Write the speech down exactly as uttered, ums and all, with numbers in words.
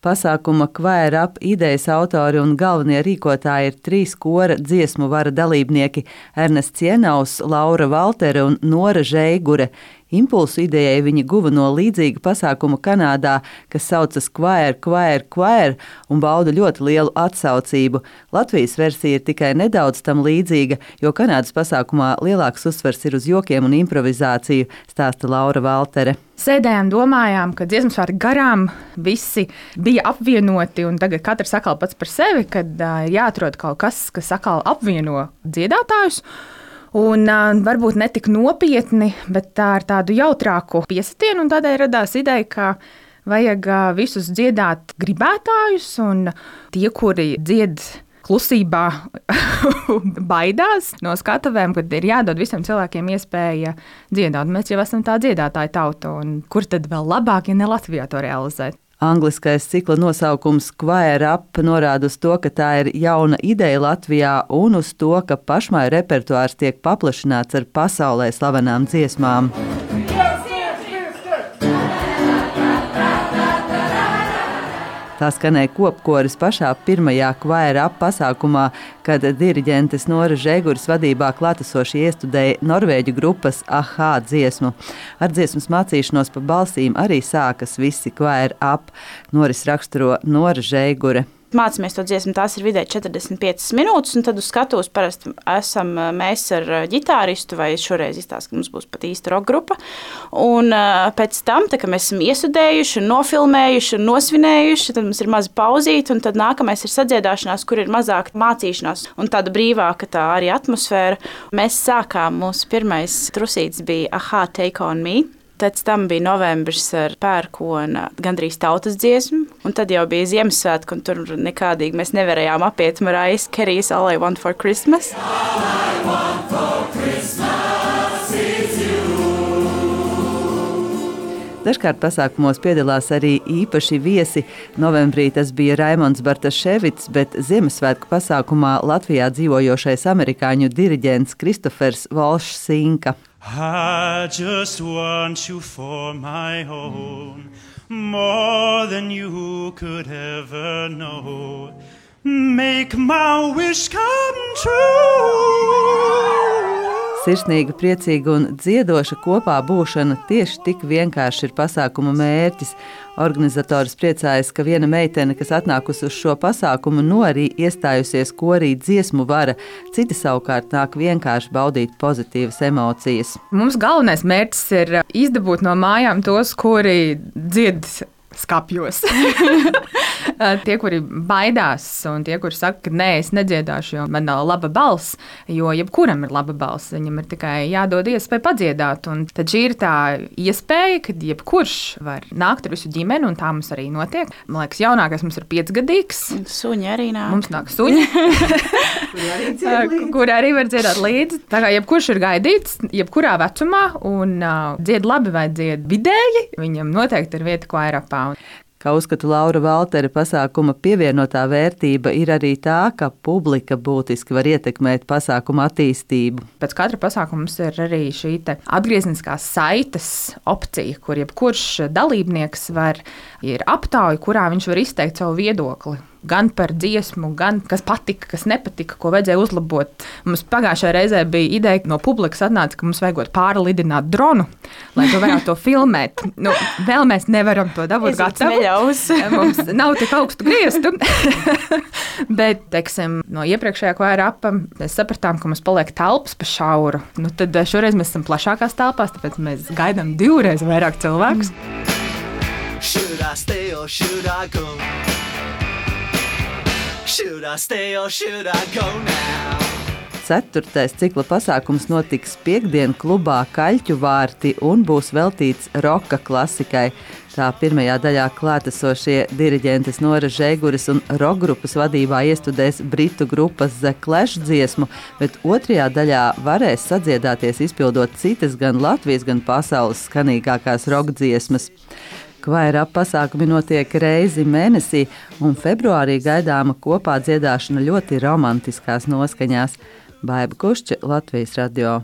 Pasākuma Choir Up idejas autori un galvenie rīkotāji ir trīs kora dziesmu vara dalībnieki – Ernests Jienaus, Laura Valtere un Nora Žeigure. Impulsu idejai viņi guva no līdzīga pasākuma Kanādā, kas saucas Choir, Choir, Choir un bauda ļoti lielu atsaucību. Latvijas versija ir tikai nedaudz tam līdzīga, jo Kanādas pasākumā lielāks uzsvers ir uz jokiem un improvizāciju, stāsta Laura Valtere. Sēdējām, domājām, ka dziesmas vārdi garām visi bija apvienoti, un tagad katrs atkal pats par sevi, kad uh, jāatrod kaut kas, kas atkal apvieno dziedātājus. Un uh, varbūt ne tik nopietni, bet tā ar tādu jautrāku piesitienu, un tādēļ radās ideja, ka vajag uh, visus dziedāt gribētājus, un tie, kuri dzied klusībā baidās no skatuvēm, kad ir jādod visiem cilvēkiem iespēja dziedāt. Mēs jau esam tā dziedātāja tauta, un kur tad vēl labāk, ja ne Latvijā to realizēt? Angliskais cikla nosaukums Choir Up norāda uz to, ka tā ir jauna ideja Latvijā un uz to, ka pašmāju repertuārs tiek paplašināts ar pasaulē slavenām dziesmām. Tā skanēja kopkoris pašā pirmajā Choir Up pasākumā, kad diriģentes Nora Žeiguras vadībā klātesoši iestudēja norvēģu grupas a ha dziesmu. Ar dziesmas mācīšanos pa balsīm arī sākas visi Choir Up. Noris raksturo Nora Žeigure. Mācāmies to dziesmu, tās ir vidēji četrdesmit piecas minūtes, un tad uz skatuves parasti esam mēs ar ģitāristu, vai šoreiz izstāst, ka mums būs pat īsta roka grupa. Un pēc tam, tā, kad mēs esam iesudējuši, nofilmējuši, nosvinējuši, tad mums ir maza pauzīte, un tad nākamais ir sadziedāšanās, kur ir mazāk mācīšanās un tāda brīvāka tā arī atmosfēra. Mēs sākām, mūsu pirmais trusītis bija a ha Take on Me. Pēc tam bija novembris ar pērkona gandrīz tautas dziesmu, un tad jau bija Ziemassvētku, un tur nekādīgi mēs nevarējām apiet Mariah Carey's All I Want for Christmas. All I want for Christmas is you. Dažkārt pasākumos piedalās arī īpaši viesi. Novembrī tas bija Raimonds Bartaševits, bet Ziemassvētku pasākumā Latvijā dzīvojošais amerikāņu diriģents Kristofers Volšs Sinka. I just want you for my own, more than you could ever know. Make my wish come true. Sirsnīga, priecīga un dziedoša kopā būšana tieši tik vienkārši ir pasākuma mērķis. Organizators priecājas, ka viena meitene, kas atnākusi uz šo pasākumu, no arī iestājusies korī dziesmu vara. Citi savukārt nāk vienkārši baudīt pozitīvas emocijas. Mums galvenais mērķis ir izdabūt no mājām tos, kuri dzied skapjos. Tie, kuri baidās, un tie, kuri saka, ka nē, es nedziedāšu, jo man nav laba balss, jo jebkuram ir laba balss, viņam ir tikai jādod iespēja padziedāt. Un tad šī ir tā iespēja, kad jebkurš var nākt ar visu ģimeni, un tā mums arī notiek. Man liekas, jaunākais mums ir piecgadīgs. Suņi arī nāk. Mums nāk suņi, kuri arī, kur arī var dziedāt līdzi. Tā kā jebkurš ir gaidīts, jebkurā vecumā, un uh, dzied labi vai dzied vidēji, viņam noteikti ir vieta Choir Upā. Kā uzskata Laura Valtere, pasākuma pievienotā vērtība ir arī tā, ka publika būtiski var ietekmēt pasākuma attīstību. Pēc katra pasākuma mums ir arī šī atgriezniskās saites opcija, kur jebkurš dalībnieks var ir aptauja, kurā viņš var izteikt savu viedokli. Gan par dziesmu, gan kas patika, kas nepatika, ko vajadzēja uzlabot. Mums pagājušajā reizē bija ideja, no publikas atnāca, ka mums vajag pārlidināt dronu, lai to varētu to filmēt. Nu, vēl mēs nevaram to dabūt gatavu. Mums nav tik augstu grieztu. Bet, teiksim, no iepriekšējā Choir Upā mēs sapratām, ka mums paliek telpas pa šauru. Nu, tad šoreiz mēs esam plašākās telpās, tāpēc mēs gaidām divreiz vairāk cilvēkus. Should I stay or should I go? Should I stay or should I go now? Ceturtais cikla pasākums notiks piektdien klubā Kaļķu vārti un būs veltīts roka klasikai. Tā pirmajā daļā klātesošie diriģentes Nora Žeiguras un rokgrupas vadībā iestudēs britu grupas The Clash dziesmu, bet otrajā daļā varēs sadziedāties izpildot citas gan Latvijas, gan pasaules skanīgākās rokdziesmas. Choir Up pasākumi notiek reizi mēnesī, un februārī gaidāma kopā dziedāšana ļoti romantiskās noskaņās. Baiba Kušķa, Latvijas radio.